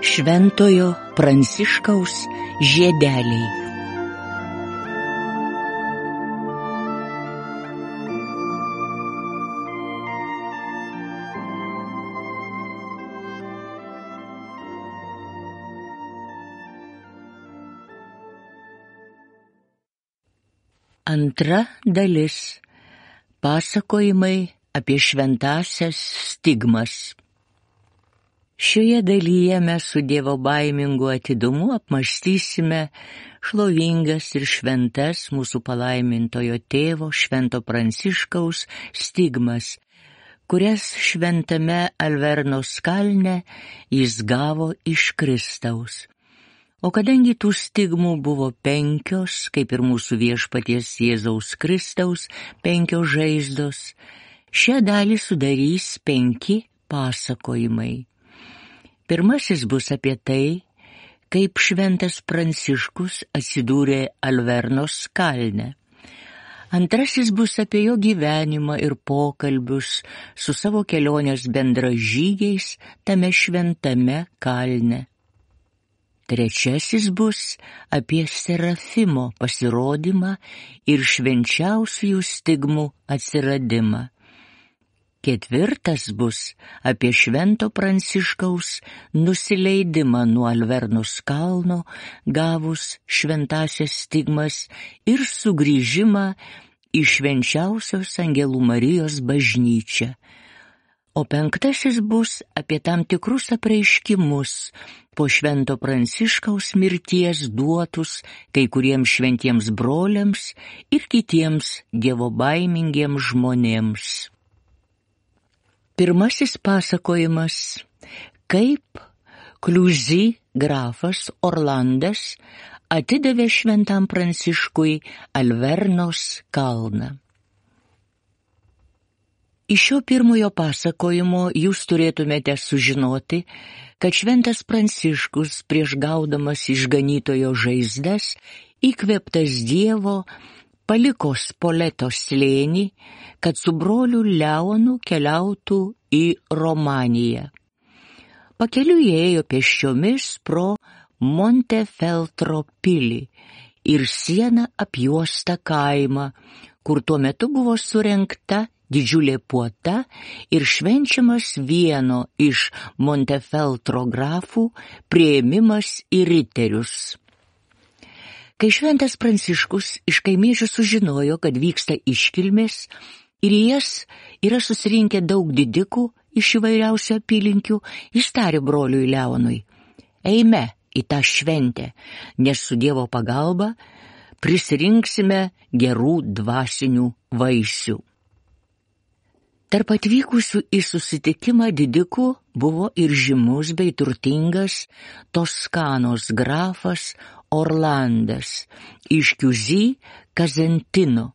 Šventojo Pranciškaus žiedeliai. Antra dalis. Pasakojimai apie šventąsias stigmas. Šioje dalyje mes su dievobaimingu atidumu apmąstysime šlovingas ir šventas mūsų palaimintojo tėvo Švento Pranciškaus stigmas, kurias šventame Alvernos kalne jis gavo iš Kristaus. O kadangi tų stigmų buvo 5, kaip ir mūsų viešpaties Jėzaus Kristaus 5 žaizdos, šią dalį sudarys 5 pasakojimai. Pirmasis bus apie tai, kaip šventas Pranciškus atsidūrė Alvernos kalne. Antrasis bus apie jo gyvenimą ir pokalbius su savo kelionės bendražygiais tame šventame kalne. Trečiasis bus apie Serafimo pasirodymą ir švenčiausiųjų stigmų atsiradimą. Ketvirtas bus apie Švento Pranciškaus nusileidimą nuo Alvernos kalno, gavus šventąsias stigmas ir sugrįžimą į švenčiausios Angelų Marijos bažnyčią. O penktasis bus apie tam tikrus apreiškimus po Švento Pranciškaus mirties duotus kai kuriems šventiems broliams ir kitiems dievobaimingiems žmonėms. Pirmasis pasakojimas, kaip Kliuzy grafas Orlandas atidavė Šventam Pranciškui Alvernos kalną. Iš šio pirmojo pasakojimo jūs turėtumėte sužinoti, kad Šventas Pranciškus prieš gaudamas išganytojo žaizdas, įkvėptas Dievo, paliko Spoleto slėnį, kad su broliu Leonu keliautų į Romaniją. Pakeliui ėjo pėsčiomis pro Montefeltro pilį ir sieną apjuostą kaimą, kur tuo metu buvo surengta didžiulė puota ir švenčiamas vieno iš Montefeltro grafų priėmimas į riterius. Kai Šventas Pranciškus iš kaimiečių sužinojo, kad vyksta iškilmės ir į jas yra susirinkę daug didikų iš įvairiausių apylinkių, jis tarė broliui Leonui: eime į tą šventę, nes su Dievo pagalba prisirinksime gerų dvasinių vaisių. Tarp atvykusių į susitikimą didikų buvo ir žymus bei turtingas Toskanos grafas Orlandas iš Kliuzy Kazentino,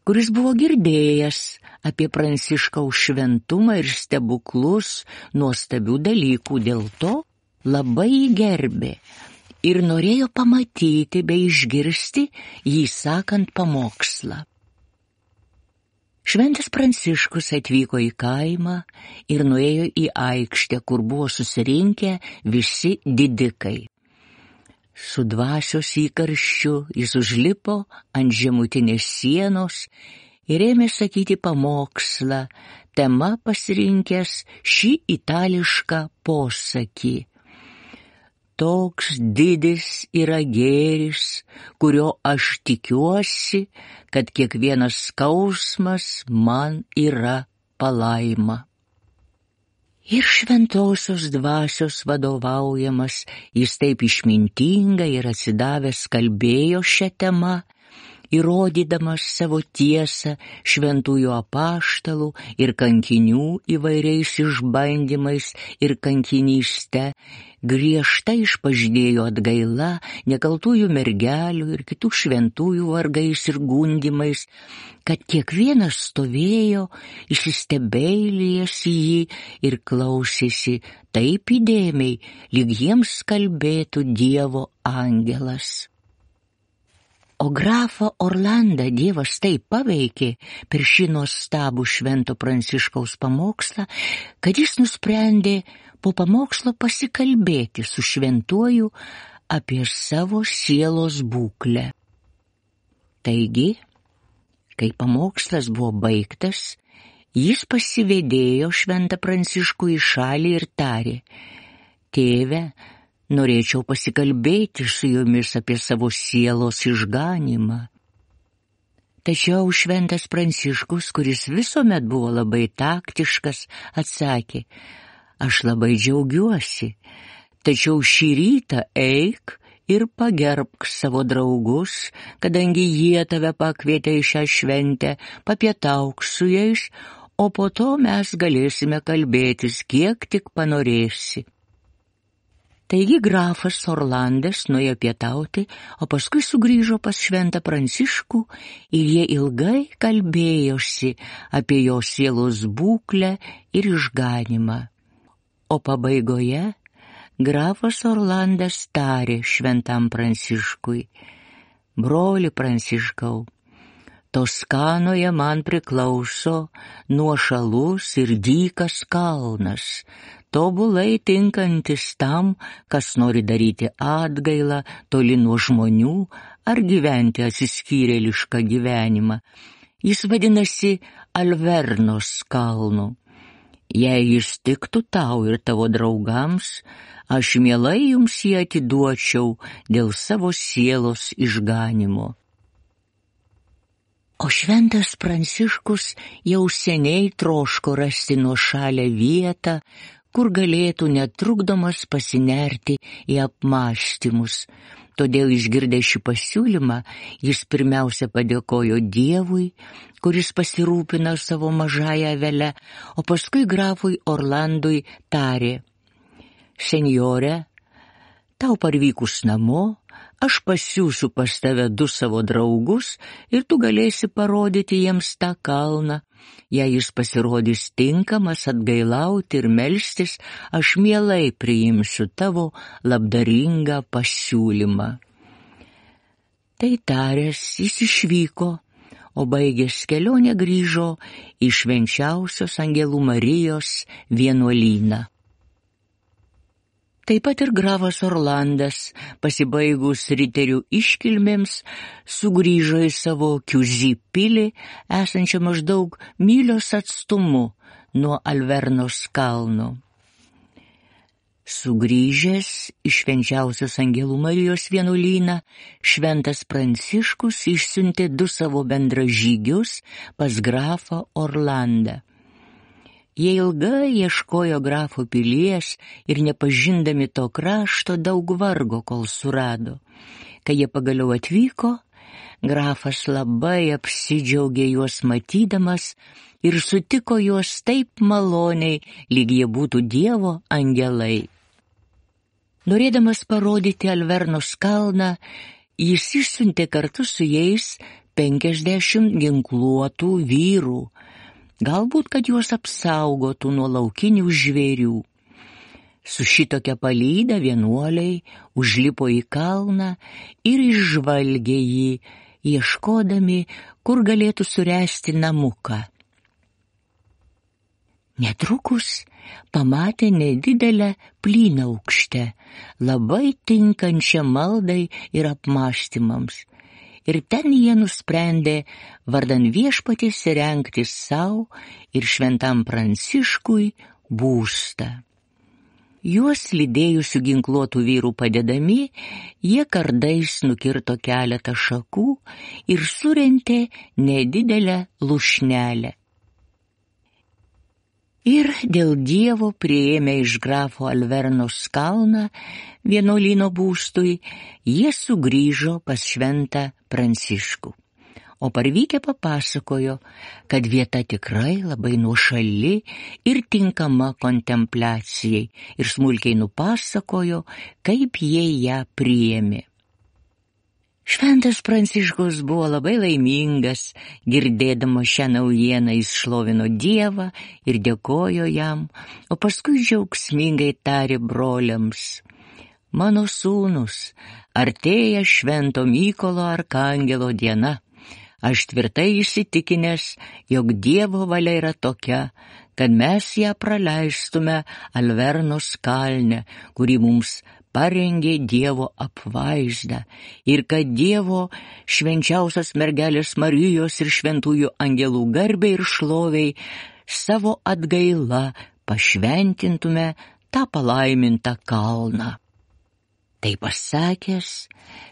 kuris buvo girdėjęs apie Pranciškaus šventumą ir stebuklus, nuostabių dalykų, dėl to labai jį gerbė ir norėjo pamatyti bei išgirsti jį sakant pamokslą. Šventas Pranciškus atvyko į kaimą ir nuėjo į aikštę, kur buvo susirinkę visi didikai. Su dvasios įkarščiu jis užlipo ant žemutinės sienos ir ėmė sakyti pamokslą, tema pasirinkęs šį itališką posakį: toks didis yra gėris, kurio aš tikiuosi, kad kiekvienas skausmas man yra palaima. Ir šventosios dvasios vadovaujamas, jis taip išmintingai ir atsidavęs kalbėjo šią temą, įrodydamas savo tiesą šventųjų apaštalų ir kankinių įvairiais išbandymais ir kankinyste, griežtai išpažinėjo atgaila nekaltųjų mergelių ir kitų šventųjų vargais ir gundymais, kad kiekvienas stovėjo įsistebeilėjęs į jį ir klausėsi taip įdėmiai, lyg jiems kalbėtų Dievo angelas. O grafą Orlandą Dievas taip paveikė per šį nuostabų Švento Pranciškaus pamokslą, kad jis nusprendė po pamokslo pasikalbėti su šventuoju apie savo sielos būklę. Taigi, kai pamokslas buvo baigtas, jis pasivedėjo Šventą Pranciškų į šalį ir tarė: Tėve, norėčiau pasikalbėti su jumis apie savo sielos išganymą. Tačiau Šventas Pranciškus, kuris visuomet buvo labai taktiškas, atsakė: Aš labai džiaugiuosi, tačiau šį rytą eik ir pagerbk savo draugus, kadangi jie tave pakvietė į šią šventę, papietauk su jais, o po to mes galėsime kalbėtis, kiek tik panorėsi. Taigi grafas Orlandas nuėjo pietauti, o paskui sugrįžo pas Šventą Pranciškų ir jie ilgai kalbėjosi apie jo sielos būklę ir išganymą. O pabaigoje grafas Orlandas tarė Šventam Pranciškui: Broli Pranciškau, Toskanoje man priklauso nuošalus ir dykas kalnas, tobulai tinkantis tam, kas nori daryti atgailą toli nuo žmonių ar gyventi atsiskyrėlišką gyvenimą. Jis vadinasi Alvernos kalnu. Jei jis tiktų tau ir tavo draugams, aš mielai jums jį atiduočiau dėl savo sielos išganymo. O Šventas Pranciškus jau seniai troško rasti nuošalią vietą, kur galėtų netrukdomas pasinerti į apmąstymus. Todėl išgirdęs šį pasiūlymą, jis pirmiausia padėkojo Dievui, kuris pasirūpino savo mažąją avelę, o paskui grafui Orlandui tarė: Senjore, tau parvykus namo, aš pasiųsiu pas tave 2 savo draugus ir tu galėsi parodyti jiems tą kalną. Jei jis pasirodys tinkamas atgailauti ir melstis, aš mielai priimsiu tavo labdaringą pasiūlymą. Tai taręs, jis išvyko, o baigęs kelionę grįžo į Švenčiausios Angelų Marijos vienuolyną. Taip pat ir grafas Orlandas, pasibaigus riterių iškilmėms, sugrįžo į savo Kiuzi pilį, esančią maždaug mylios atstumu nuo Alvernos kalno. Sugrįžęs į Švenčiausios Angelų Marijos vienuolyną, Šventas Pranciškus išsiuntė 2 savo bendražygius pas grafą Orlandą. Jie ilgai ieškojo grafo pilies ir nepažindami to krašto daug vargo, kol surado. Kai jie pagaliau atvyko, grafas labai apsidžiaugė juos matydamas ir sutiko juos taip maloniai, lyg jie būtų Dievo angelai. Norėdamas parodyti Alvernos kalną, jis išsiuntė kartu su jais 50 ginkluotų vyrų, galbūt, kad juos apsaugotų nuo laukinių žvėrių. Su šitokia palyda vienuoliai užlipo į kalną ir išžvalgė jį, ieškodami, kur galėtų suręsti namuką. Netrukus pamatė nedidelę plynaukštę, labai tinkančią maldai ir apmąstymams. Ir ten jie nusprendė vardan Viešpaties įrengti sau ir Šventam Pranciškui būstą. Juos lydėjusių ginkluotų vyrų padedami, jie kardais nukirto keletą šakų ir surentė nedidelę lūšnelę. Ir dėl Dievo priėmė iš grafo Alvernos kalną vienuolyno būstui, jie sugrįžo pas Šventą Pranciškų. O parvykę papasakojo, kad vieta tikrai labai nuošali ir tinkama kontempliacijai, ir smulkiai nupasakojo, kaip jie ją priėmė. Šventas Pranciškus buvo labai laimingas, girdėdamas šią naujieną jis šlovino Dievą ir dėkojo jam, o paskui džiaugsmingai tarė broliams: Mano sūnus, artėja Švento Mykolo arkangelo diena. Aš tvirtai įsitikinęs, jog Dievo valia yra tokia, kad mes ją praleistume Alvernos kalne, kuri mums parengė Dievo apvaizdą, ir kad Dievo švenčiausios mergelės Marijos ir šventųjų angelų garbei ir šloviai savo atgaila pašventintume tą palaimintą kalną. Tai pasakęs,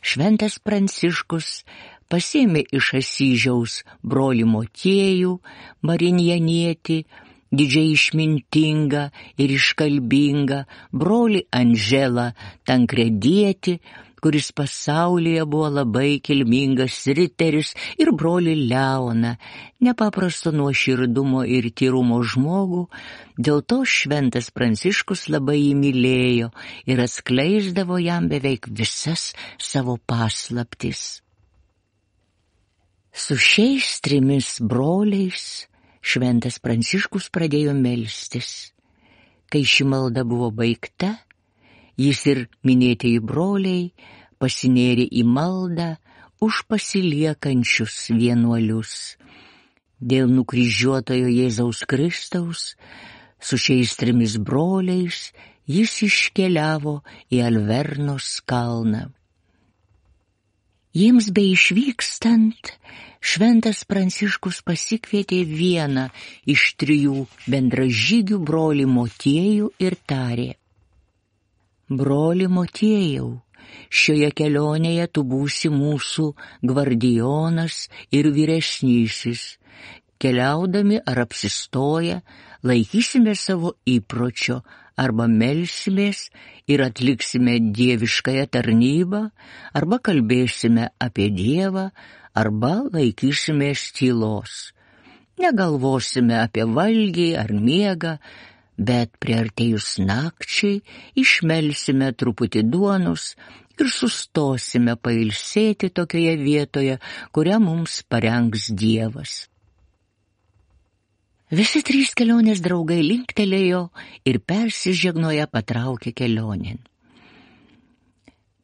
šventas Pranciškus pasėmė iš Asyžiaus brolį Motiejų, Marinjanietį, didžiai išmintingą ir iškalbingą, brolį Andželą Tankredietį, kuris pasaulyje buvo labai kilmingas riteris, ir brolį Leoną, nepaprasto nuoširdumo ir tyrumo žmogų. Dėl to šventas Pranciškus labai jį mylėjo ir atskleisdavo jam beveik visas savo paslaptis. Su šiais 3 broliais šventas Pranciškus pradėjo melstis. Kai ši malda buvo baigta, jis ir minėtieji broliai pasinėrė į maldą už pasiliekančius vienuolius. Dėl nukryžiuotojo Jėzaus Kristaus su šiais 3 broliais jis iškeliavo į Alvernos kalną. Jiems beišvykstant, šventas Pranciškus pasikvietė vieną iš 3 bendražygių, brolį Motiejų, ir tarė: Broli Motiejau, šioje kelionėje tu būsi mūsų gvardijonas ir vyresnysis. Keliaudami ar apsistoję, laikysime savo įpročio, arba melsimės ir atliksime dieviškąją tarnybą, arba kalbėsime apie Dievą, arba laikysimės tylos. Negalvosime apie valgį ar miegą, bet priartėjus nakčiai išmelsime truputį duonos ir sustosime pailsėti tokioje vietoje, kurią mums parengs Dievas. Visi 3 kelionės draugai linktelėjo ir persižegnoję patraukė kelionėn.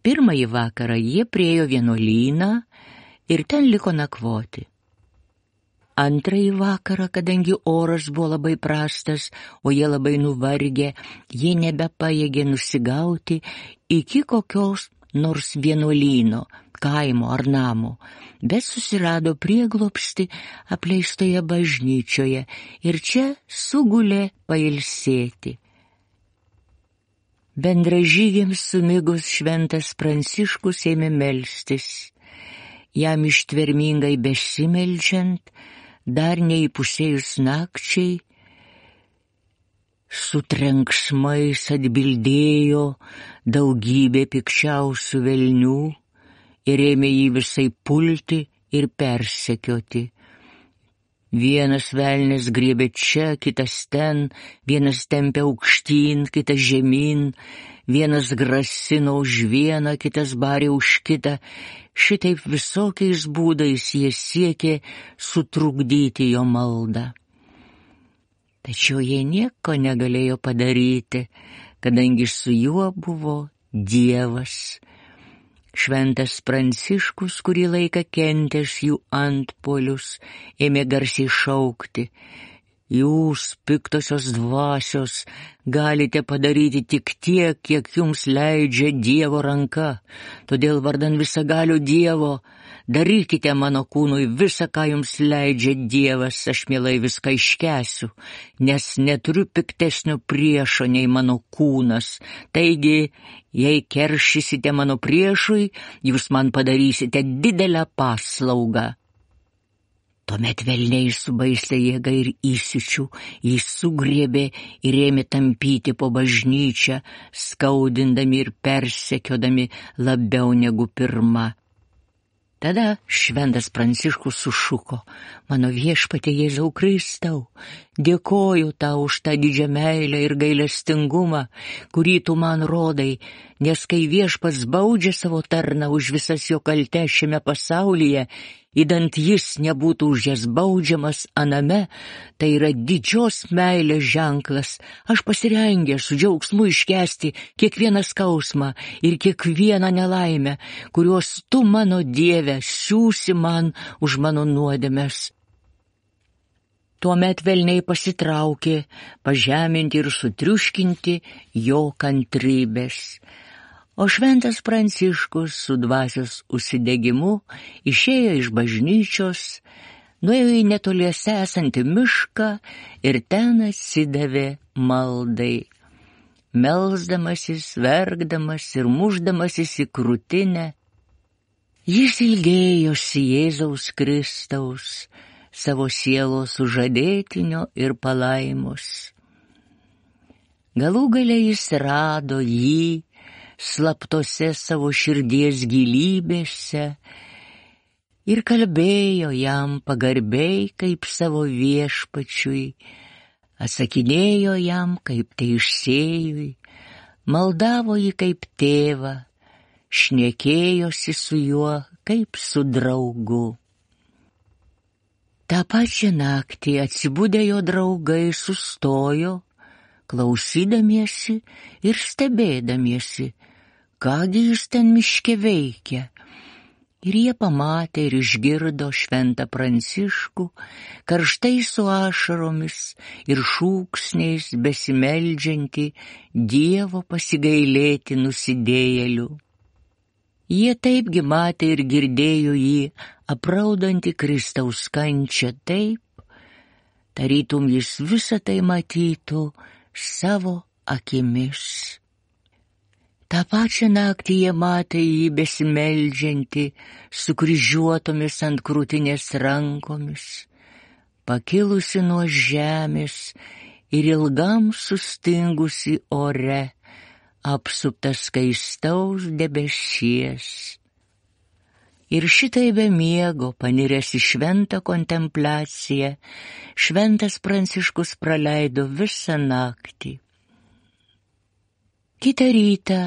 Pirmąjį vakarą jie priėjo vienuolyną ir ten liko nakvoti. Antrąjį vakarą, kadangi oras buvo labai prastas, o jie labai nuvargę, jie nebepajėgė nusigauti iki kokios nors vienuolyno, kaimo ar namo, bet susirado prieglobstį apleistoje bažnyčioje ir čia sugulė pailsėti. Bendražygiams sumigus šventas Pranciškus ėmė melstis. Jam ištvermingai besimeldžiant, dar neįpusėjus nakčiai, su trenksmais atbildėjo daugybė pikčiausių velnių ir ėmė jį visai pulti ir persekioti. Vienas velnias griebė čia, kitas ten, vienas tempė aukštyn, kitas žemyn, vienas grasino už vieną, kitas barė už kitą. Šitaip visokiais būdais jie siekė sutrukdyti jo maldą. Tačiau jie nieko negalėjo padaryti, kadangi su juo buvo Dievas. Šventas Pranciškus, kurį laiką kentęs jų antpuolius, ėmė garsiai šaukti: Jūs, piktosios dvasios, galite padaryti tik tiek, kiek jums leidžia Dievo ranka. Todėl vardan visagalio Dievo darykite mano kūnui visa, ką jums leidžia Dievas, aš mielai viską iškęsiu, nes neturiu piktesnio priešo nei mano kūnas. Taigi, jei keršysite mano priešui, jūs man padarysite didelę paslaugą. Tuomet velniai su baisia jėga ir įsiūčiu jį sugriebė ir ėmė tampyti po bažnyčią, skaudindami ir persekiodami labiau negu pirma. Tada šventas Pranciškus sušuko: Mano viešpatie Jėzau Kristau, dėkoju tau už tą didžią meilę ir gailestingumą, kurį tu man rodai, nes kai viešpats baudžia savo tarną už visas jo kaltes šiame pasaulyje, Įdant jis nebūtų už jas baudžiamas aname, tai yra didžios meilės ženklas. Aš pasirengęs su džiaugsmu iškęsti kiekvieną skausmą ir kiekvieną nelaimę, kuriuos tu, mano Dieve, siūsi man už mano nuodėmes. Tuomet velniai pasitraukė, pažeminti ir sutriuškinti jo kantrybės. O šventas Pranciškus su dvasios užsidegimu išėjo iš bažnyčios, nuėjo į netoliese esantį mišką ir ten atsidavė maldai. Melsdamasis, verkdamas ir mušdamasis į krūtinę, jis ilgėjosi Jėzaus Kristaus, savo sielos sužadėtinio ir palaimos. Galų gale jis rado jį slaptose savo širdies gilybėse ir kalbėjo jam pagarbiai kaip savo viešpačiui, atsakinėjo jam kaip teisėjui, maldavo jį kaip tėvą, šnekėjosi su juo kaip su draugu. Ta pačią naktį atsibudę jo draugai sustojo, klausydamiesi ir stebėdamiesi, kągi jis ten miške veikia. Ir jie pamatė ir išgirdo šventą Pranciškų, karštai su ašaromis ir šūksniais besimeldžiantį Dievo pasigailėti nusidėjėlių. Jie taipgi matė ir girdėjo jį apraudantį Kristaus kančią taip, tarytum jis visą tai matytų savo akimis. Ta pačią naktį jie matė jį besimeldžiantį, sukryžiuotomis ant krūtinės rankomis, pakilusi nuo žemės ir ilgam sustingusi ore, apsuptas skaistaus debesies. Ir šitai be miego, paniręs į šventą kontempliaciją, šventas Pranciškus praleido visą naktį. Kitą rytą,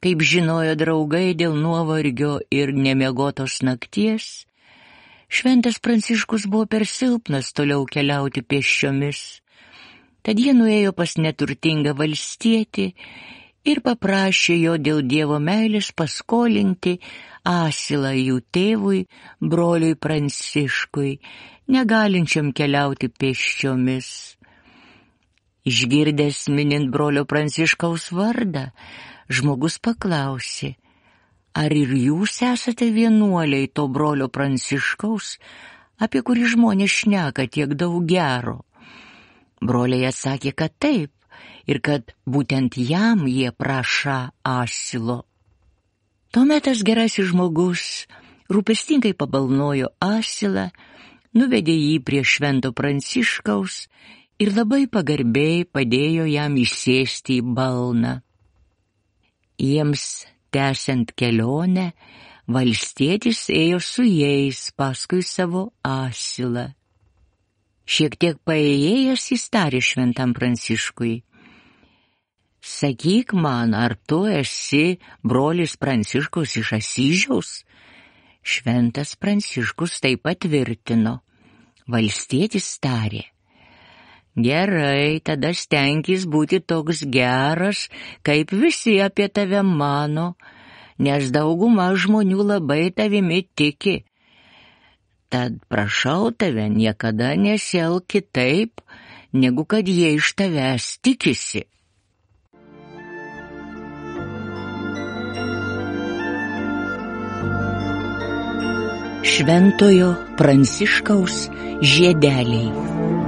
kaip žinojo draugai dėl nuovargio ir nemiegotos nakties, šventas Pranciškus buvo per silpnas toliau keliauti pėsčiomis. Tad jie nuėjo pas neturtingą valstietį ir paprašė jo dėl Dievo meilės paskolinti asilą jų tėvui, broliui Pranciškui, negalinčiam keliauti pėsčiomis. Išgirdęs minint brolio Pranciškaus vardą, žmogus paklausė, ar ir jūs esate vienuoliai to brolio Pranciškaus, apie kurį žmonės šneka tiek daug gero? Broliai atsakė, kad taip, ir kad būtent jam jie prašą asilo. Tuomet tas gerasis žmogus rūpestingai pabalnojo asilą, nuvedė jį prie švento Pranciškaus ir labai pagarbiai padėjo jam įsėsti į balną. Jiems tęsiant kelionę, valstietis ėjo su jais paskui savo asilą. Šiek tiek paėjęs jis tarė šventam Pranciškui, sakyk man, ar tu esi brolis Pranciškus iš Asyžiaus? Šventas Pranciškus tai patvirtino. Valstietis tarė, gerai, tada stenkis būti toks geras, kaip visi apie tave mano, nes dauguma žmonių labai tavimi tiki. Tad prašau tave, niekada nesielk kitaip, negu kad jie iš tavęs tikisi. Šventojo Pranciškaus žiedeliai.